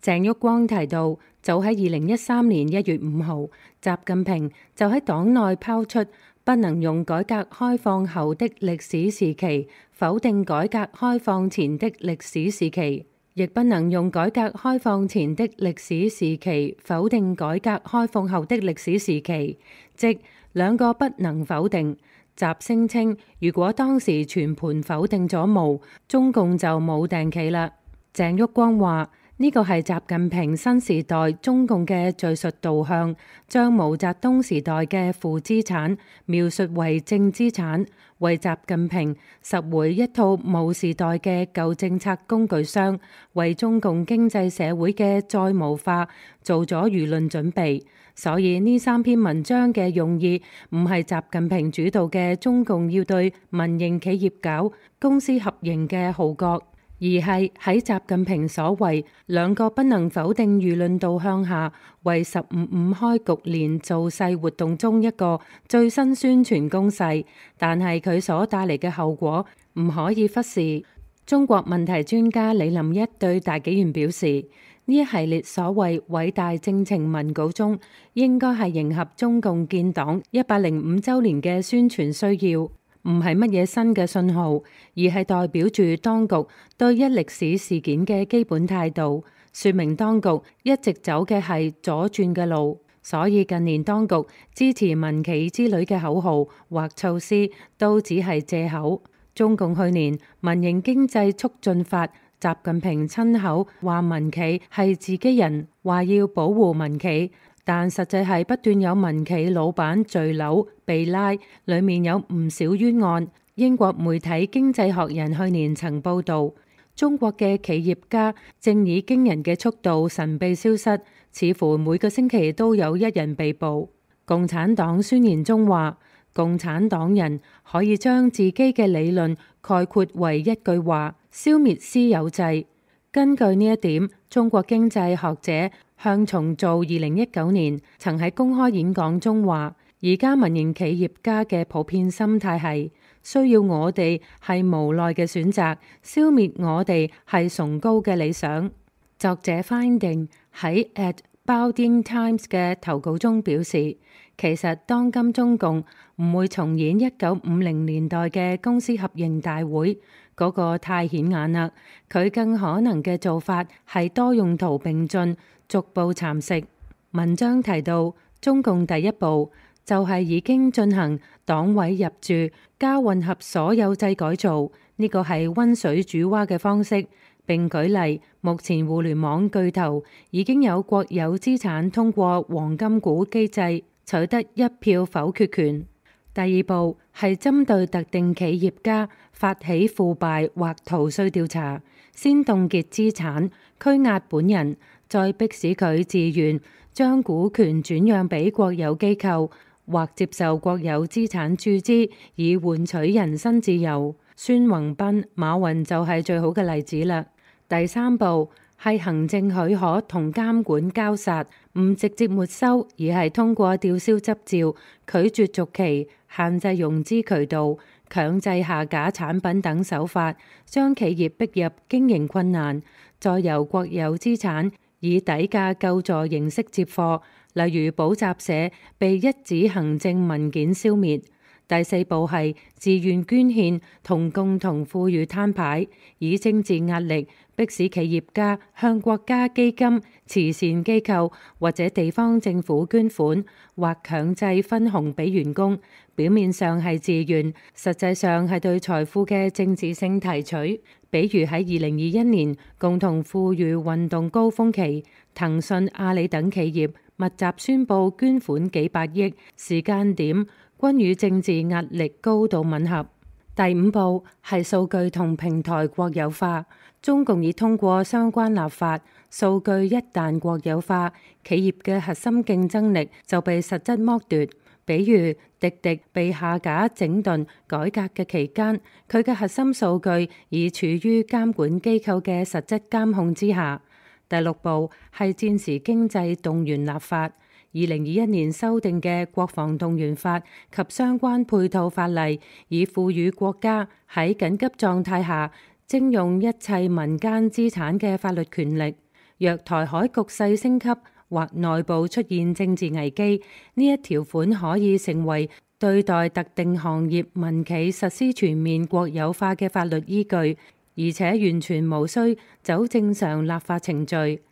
鄭旭光提到，早喺2013年1月5號，習近平就喺黨內拋出不能用改革開放後的歷史時期否定改革開放前的歷史時期，亦不能用改革開放前的歷史時期否定改革開放後的歷史時期，即兩個不能否定。習聲稱，如果當時全盤否定咗毛，中共就冇定期啦。鄭旭光話：呢個係習近平新時代中共嘅敘述導向，將毛澤東時代嘅負資產描述為正資產，為習近平拾回一套毛時代嘅舊政策工具箱，為中共經濟社會嘅再毛化做咗輿論準備。所以呢3篇文章嘅用意唔係習近平主導嘅中共要對民營企業搞公司合營嘅號角，而係喺習近平所謂兩個不能否定輿論導向下，為15.5開局年造勢活動中一個最新宣傳攻勢，但係佢所帶嚟嘅後果唔可以忽視。中國問題專家李林一對大紀元表示，呢一系列所謂偉大征程文稿中，應該係迎合中共建黨105週年嘅宣傳需要，唔係乜嘢新嘅信號，而係代表住當局對一歷史事件嘅基本態度，說明當局一直走嘅係左轉嘅路。所以近年當局支持民企之類嘅口號或措施都只係借口。中共去年民營經濟促進法，習近平親口話民企係自己人，話要保護民企，但實際係不斷有民企老闆墜樓被拉，裡面有唔少冤案。英國媒體《經濟學人》去年曾報導，中國嘅企業家正以驚人嘅速度神秘消失，似乎每個星期都有一人被捕。共產黨宣言中話，共產黨人可以將自己嘅理論概括為一句話：消滅私有制。根據呢一點，中國經濟學者向重造2019年曾喺公開演講中話，而家民營企業家嘅普遍心態係需要我哋係無奈嘅選擇，消滅我哋係崇高嘅理想。作者 Finding 喺 at Baoding Times 嘅投稿中表示，其實當今中共唔會重演1950年代嘅公司合營大會，嗰個太顯眼啦。佢更可能嘅做法係多用途並進，逐步蠶食。文章提到，中共第一步就係已經進行黨委入駐加混合所有制改造，呢個係溫水煮蛙嘅方式。並舉例，目前互聯網巨頭已經有國有資產通過黃金股機制取得一票否決權。第二步係針對特定企業家發起腐敗或逃稅調查，先凍結資產，拘押本人，再迫使佢自願將股權轉讓俾國有機構，或接受國有資產注資以換取人身自由。孫宏斌、馬雲就係最好嘅例子啦。第三步係行政許可同監管交殺，唔直接沒收，而係通過吊銷執照、拒絕續期、限制融資渠道、強制下架產品等手法，將企業逼入經營困難，再由國有資產以底價救助形式接貨，例如補習社被一紙行政文件消滅。第四步係自願捐獻同共同富裕攤牌，以政治壓力迫使企業家向國家基金、慈善機構或者地方政府捐款，或強制分紅俾員工。表面上係自願，實際上係對財富嘅政治性提取。比如喺2021年共同富裕運動高峰期，騰訊、阿里等企業密集宣布捐款幾百億，時間點均與政治壓力高度吻合。第五步係數據同平台國有化。中共已通過相關立法，數據一旦國有化，企業嘅核心競爭力就被實質剝奪。比如滴滴被下架、整頓、改革嘅期間，佢嘅核心數據已處於監管機構嘅實質監控之下。第六步係戰時經濟動員立法。2021年修訂嘅國防動員法及相關配套法例，以賦予國家喺緊急狀態下徵用一切民間資產嘅法律權力。若台海局勢升級或內部出現政治危機，呢一條款可以成為對待特定行業民企實施全面國有化嘅法律依據，而且完全無需走正常立法程序。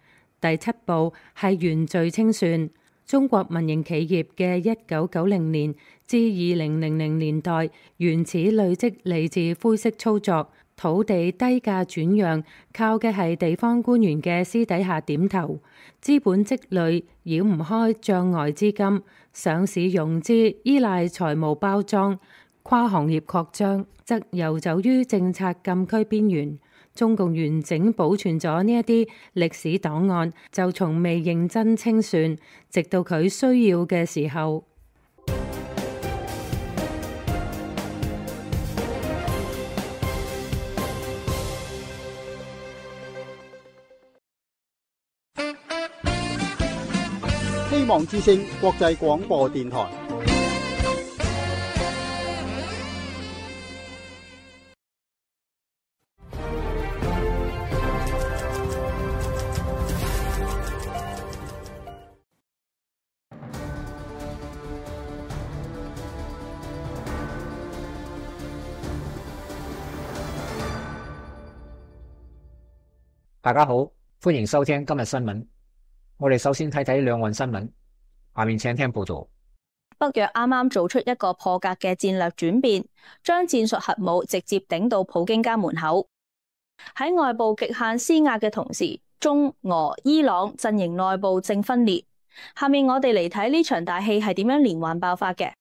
第七步係原罪清算。中國民營企業嘅1990年至2000年代原始累積嚟自灰色操作，土地低價轉讓，靠嘅係地方官員嘅私底下點頭，資本積累繞唔開障礙資金，上市融資依賴財務包裝，跨行業擴張則遊走於政策禁區邊緣。中共完整保存咗呢一啲歷史檔案，就從未認真清算，直到佢需要嘅時候。希望之聲國際廣播電台。大家好，歡迎收聽今日新聞。我哋首先睇睇兩岸新聞，下面請聽報道。北約啱啱做出一個破格嘅戰略轉變，將戰術核武直接頂到普京家門口。喺外部極限施壓嘅同時，中俄伊朗陣營內部正分裂。下面我哋嚟睇呢場大戲係點樣連環爆發嘅。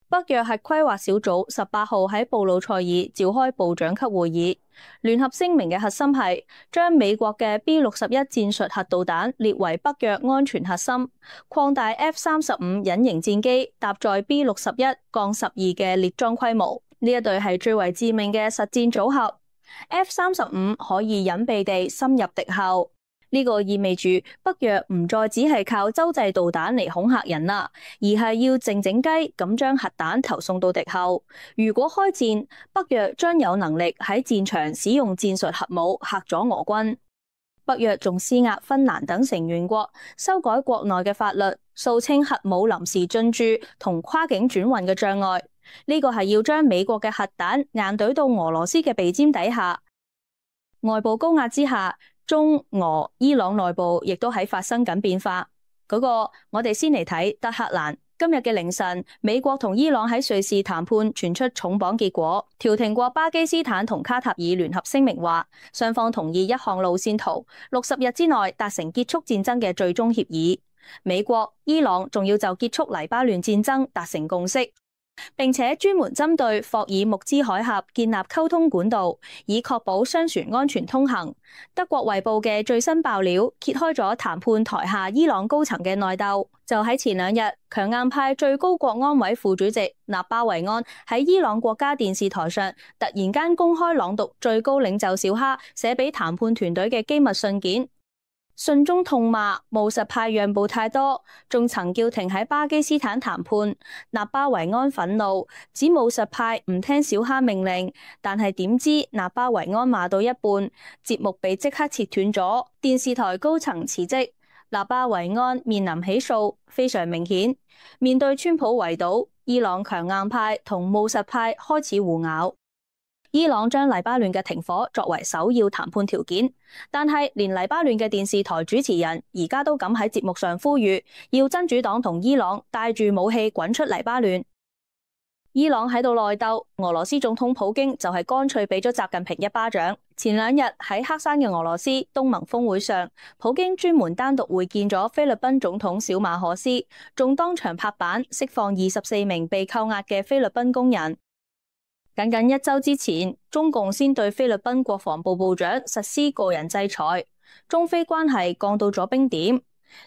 北約核規劃小組18號喺布魯塞爾召開部長級會議，聯合聲明嘅核心係將美國嘅 B61戰術核導彈列為北約安全核心，擴大 F-35隱形戰機搭載 B61-12嘅列裝規模。呢一隊係最為致命嘅實戰組合。F-35可以隱蔽地深入敵後。呢個意味住北約唔再只係靠洲際導彈嚟恐嚇人啦，而係要靜靜雞咁將核彈投送到敵後。如果開戰，北約將有能力喺戰場使用戰術核武嚇阻俄軍。北約仲施壓芬蘭等成員國修改國內嘅法律，掃清核武臨時進駐同跨境轉運嘅障礙。呢個係要將美國嘅核彈硬懟到俄羅斯嘅鼻尖底下。外部高壓之下，中俄伊朗內部亦都喺發生緊變化。我哋先嚟睇德黑蘭。今日嘅凌晨，美國同伊朗喺瑞士談判傳出重磅結果，調停國巴基斯坦同卡塔爾聯合聲明話，雙方同意一項路線圖，60日之內達成結束戰爭嘅最終協議。美國、伊朗仲要就結束黎巴嫩戰爭達成共識。並且專門針對霍爾木茲海峽建立溝通管道，以確保商船安全通行。德國衛報嘅最新爆料揭開咗談判台下伊朗高層嘅內鬥。就喺前兩日，強硬派最高國安委副主席納巴維安喺伊朗國家電視台上突然間公開朗讀最高領袖小哈寫俾談判團隊嘅機密信件。信中痛罵務實派讓步太多，仲曾叫停喺巴基斯坦談判。納巴維安憤怒，指務實派唔聽小哈命令，但係點知納巴維安罵到一半，節目被即刻切斷咗，電視台高層辭職，納巴維安面臨起訴，非常明顯。面對川普圍堵，伊朗強硬派同務實派開始互咬。伊朗將黎巴嫩嘅停火作為首要談判條件，但係連黎巴嫩嘅電視台主持人而家都敢喺節目上呼籲，要真主黨同伊朗帶住武器滾出黎巴嫩。伊朗喺度內鬥，俄羅斯總統普京就係乾脆俾咗習近平一巴掌。前兩日喺黑山嘅俄羅斯東盟峰會上，普京專門單獨會見咗菲律賓總統小馬可斯，仲當場拍板釋放24名被扣押嘅菲律賓工人。僅僅一周之前，中共先對菲律賓國防部部長實施個人制裁，中菲關係降到咗冰點。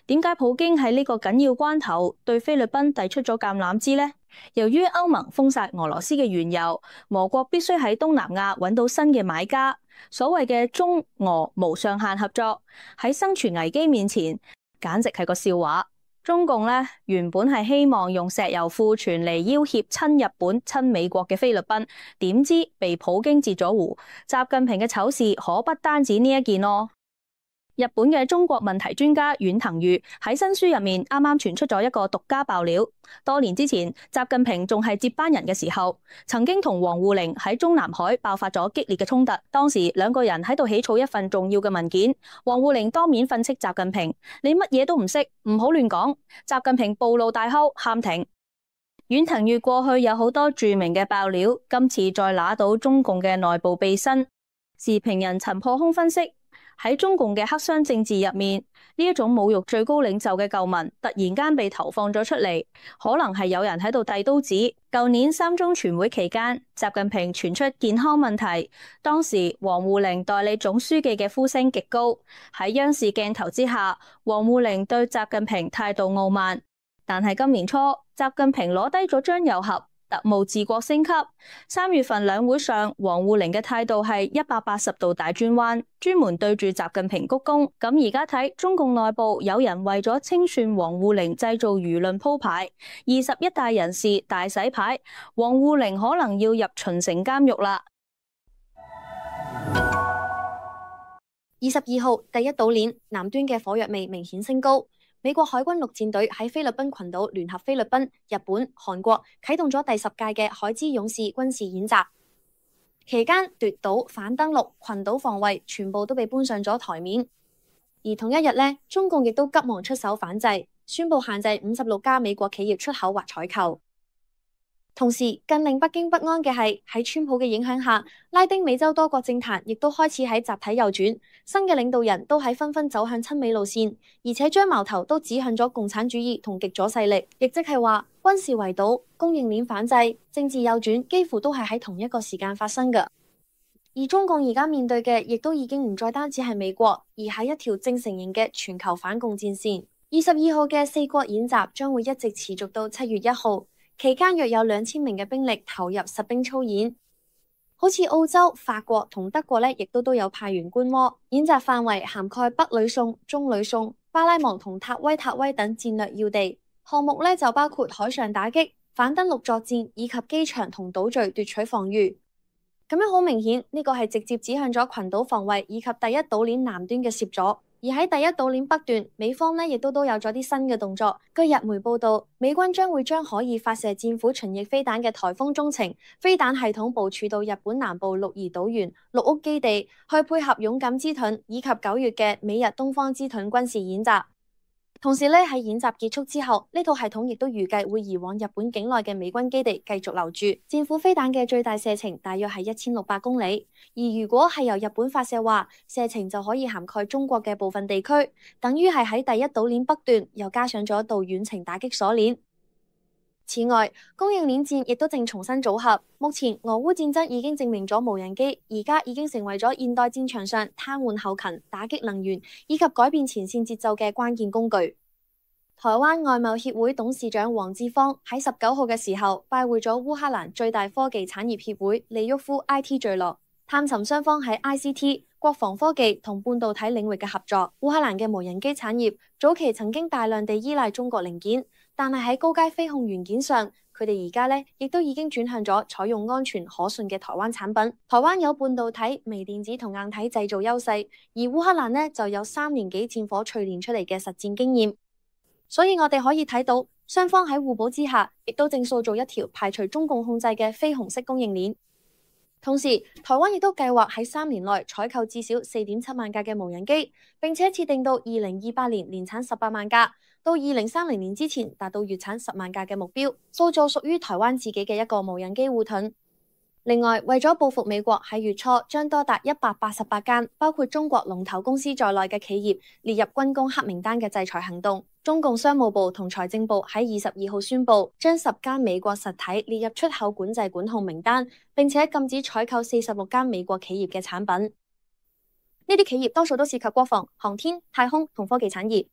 點解普京喺呢個緊要關頭對菲律賓遞出咗橄欖枝呢？由於歐盟封殺俄羅斯嘅原油，俄國必須喺東南亞揾到新嘅買家。所謂嘅中俄無上限合作，喺生存危機面前，簡直係個笑話。中共原本係希望用石油庫存嚟要挾親日本、親美國嘅菲律賓，點知被普京截咗胡。習近平嘅醜事可不單止呢一件咯。日本嘅中國問題專家遠藤裕喺新書入面啱啱傳出咗一個獨家爆料。多年之前，習近平仲係接班人嘅時候，曾經同王滬寧喺中南海爆發咗激烈嘅衝突。當時兩個人喺度起草一份重要嘅文件，王滬寧當面訓斥習近平：你乜嘢都唔識，唔好亂講。習近平暴怒大吼，喊停。遠藤裕過去有好多著名嘅爆料，今次再拿到中共嘅內部秘辛。時評人陳破空分析，喺中共嘅黑箱政治入面，呢一種侮辱最高領袖嘅舊聞突然間被投放咗出嚟，可能係有人喺度遞刀子。舊年三中全會期間，習近平傳出健康問題，當時王滬寧代理總書記嘅呼聲極高。喺央視鏡頭之下，王滬寧對習近平態度傲慢。但係今年初，習近平攞低咗張又俠，特務治國升級。3月份兩會上，王滬寧嘅態度係180度大轉彎，專門對住習近平鞠躬。咁而家睇中共內部有人為咗清算王滬寧製造輿論鋪排，21大人士大洗牌，王滬寧可能要入秦城監獄啦。22號第一島鏈南端嘅火藥味明顯升高。美國海軍陸戰隊喺菲律賓群島聯合菲律賓、日本、韓國啟動咗第10屆嘅海之勇士軍事演習，期間奪島、反登陸、群島防衛全部都被搬上咗台面。而同一日呢，中共亦都急忙出手反制，宣布限制56家美國企業出口或採購。同時，更令北京不安嘅係喺川普嘅影響下，拉丁美洲多國政壇亦都開始喺集體右轉，新嘅領導人都喺紛紛走向親美路線，而且將矛頭都指向咗共產主義同極左勢力，亦即係話軍事圍堵、供應鏈反制、政治右轉，幾乎都係喺同一個時間發生嘅。而中共而家面對嘅，亦都已經唔再單止係美國，而係一條正成型嘅全球反共戰線。22號嘅4國演習將會一直持續到7月1號。期間約有2000名嘅兵力投入實兵操演，好似澳洲、法國同德國亦都有派員觀摩。演習範圍涵蓋北呂宋、中呂宋、巴拉望同塔威等戰略要地。項目就包括海上打擊、反登陸作戰以及機場同島嶼奪取防禦。咁樣好明顯，呢個係直接指向咗群島防衛以及第一島鏈南端嘅攝阻。而喺第一島鏈北段，美方亦都有咗啲新嘅動作。據日媒報道，美軍將會將可以發射戰斧巡弋飛彈嘅颱風中程飛彈系統部署到日本南部鹿兒島縣鹿屋基地，去配合勇敢之盾以及9月嘅美日東方之盾軍事演習。同時喺演習結束之後，呢套系統亦都預計會移往日本境內嘅美軍基地繼續留駐。戰斧飛彈嘅最大射程大約係1600公里，而如果係由日本發射話，射程就可以涵蓋中國嘅部分地區，等於係喺第一島鏈北段又加上咗一道遠程打擊鎖鏈。此外，供應鏈戰亦都正重新組合。目前俄烏戰爭已經證明咗無人機而家已經成為咗現代戰場上癱瘓後勤、打擊能源以及改變前線節奏嘅關鍵工具。台灣外貿協會董事長黃志芳喺19號嘅時候拜會咗烏克蘭最大科技產業協會利沃夫 IT 聚落，探尋雙方喺 ICT、國防科技同半導體領域嘅合作。烏克蘭嘅無人機產業早期曾經大量地依賴中國零件，但係喺高階飛控元件上，佢哋而家呢亦都已經轉向咗採用安全可信嘅台灣產品。台灣有半導體、微電子同硬體製造優勢，而烏克蘭呢就有3年幾戰火淬煉出嚟嘅實戰經驗。所以我哋可以睇到，雙方喺互補之下，亦都正塑造一條排除中共控制嘅非紅色供應鏈。同時，台灣亦都計劃喺3年內採購至少4.7萬架嘅無人機，並且設定到2028年年產18萬架，到2030年之前達到月產10萬架嘅目標，塑造屬於台灣自己嘅一個無人機護盾。另外，為咗報復美國喺月初將多達188間包括中國龍頭公司在內嘅企業列入軍工黑名單嘅制裁行動，中共商務部同財政部喺22號宣布，將10間美國實體列入出口管制管控名單，並且禁止採購46間美國企業嘅產品。呢啲企業多數都涉及國防、航天、太空同科技產業。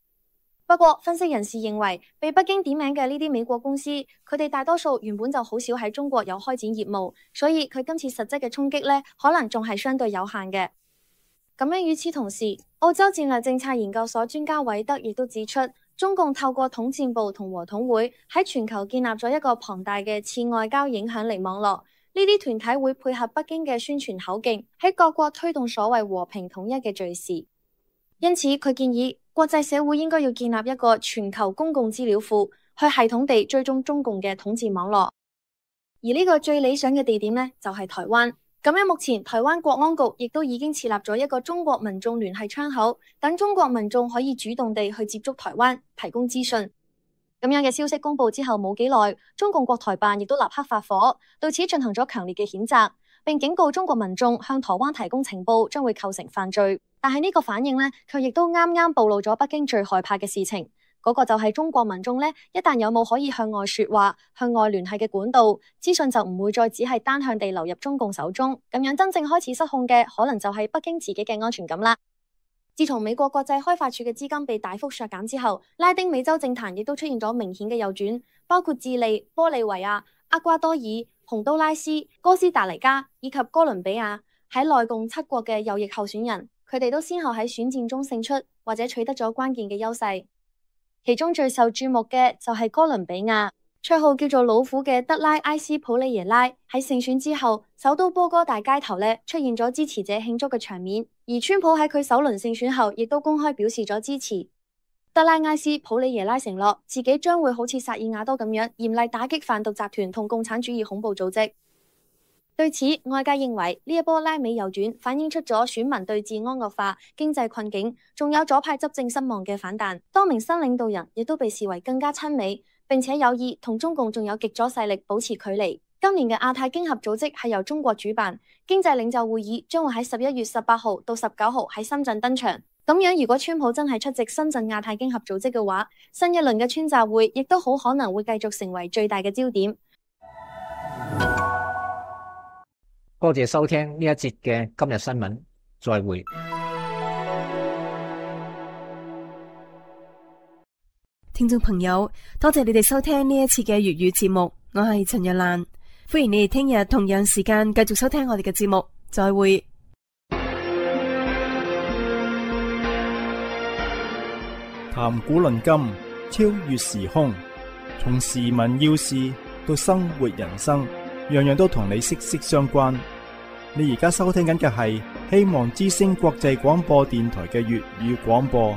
不過，分析人士認為，被北京點名嘅呢啲美國公司，佢哋大多數原本就好少喺中國有開展業務，所以佢今次實質嘅衝擊呢，可能仲係相對有限嘅。咁樣與此同時，澳洲戰略政策研究所專家韋德亦都指出，中共透過統戰部同和統會喺全球建立咗一個龐大嘅次外交影響力網絡。呢啲團體會配合北京嘅宣傳口徑，喺各國推動所謂和平統一嘅敘事。因此，佢建議國際社會應該要建立一個全球公共資料庫，去系統地追蹤中共嘅統戰網絡。而呢個最理想嘅地點呢，就係台灣。咁樣目前台灣國安局亦都已經設立咗一個中國民眾聯繫窗口，等中國民眾可以主動地去接觸台灣，提供資訊。咁樣嘅消息公布之後冇幾耐，中共國台辦亦都立刻發火，對此進行咗強烈嘅譴責，並警告中國民眾向台灣提供情報將會構成犯罪。但係呢個反應呢，卻亦都啱啱暴露咗北京最害怕嘅事情，嗰個就係中國民眾呢，一旦有冇可以向外說話、向外聯繫嘅管道，資訊就唔會再只係單向地流入中共手中，咁樣真正開始失控嘅，可能就係北京自己嘅安全感啦。自從美國國際開發署嘅資金被大幅削減之後，拉丁美洲政壇亦都出現咗明顯嘅右轉，包括智利、玻利維亞、厄瓜多爾、洪都拉斯、哥斯達黎加以及哥倫比亞喺內共7國嘅右翼候選人，佢哋都先後喺選戰中勝出或者取得咗關鍵嘅優勢。其中最受注目嘅就係哥倫比亞，綽號叫做老虎嘅德拉埃斯普里耶拉喺勝選之後，首都波哥大街頭出現咗支持者慶祝嘅場面，而川普喺佢首輪勝選後亦都公開表示咗支持。德拉埃斯普里耶拉承諾自己將會好似薩爾瓦多咁樣嚴厲打擊販毒集團同共產主義恐怖組織。對此，外界認為呢一波拉美右轉反映出咗選民對治安惡化、經濟困境，仲有左派執政失望嘅反彈。多名新領導人亦都被視為更加親美，並且有意同中共仲有極左勢力保持距離。今年嘅亞太經合組織係由中國主辦，經濟領袖會議將會喺11月18號到19號喺深圳登場。咁樣，如果川普真係出席深圳亞太經合組織嘅話，新一輪嘅川習會亦都好可能會繼續成為最大嘅焦點。多謝收聽呢一節嘅今日新聞，再會。聽眾朋友，多謝你哋收聽呢一次嘅粵語節目，我係陳若蘭，歡迎你哋聽日同樣時間繼續收聽我哋嘅節目，再會。談古論今，超越時空，從時聞要事到生活人生，樣樣都同你息息相關。你而家收聽緊嘅係希望之聲國際廣播電台嘅粵語廣播。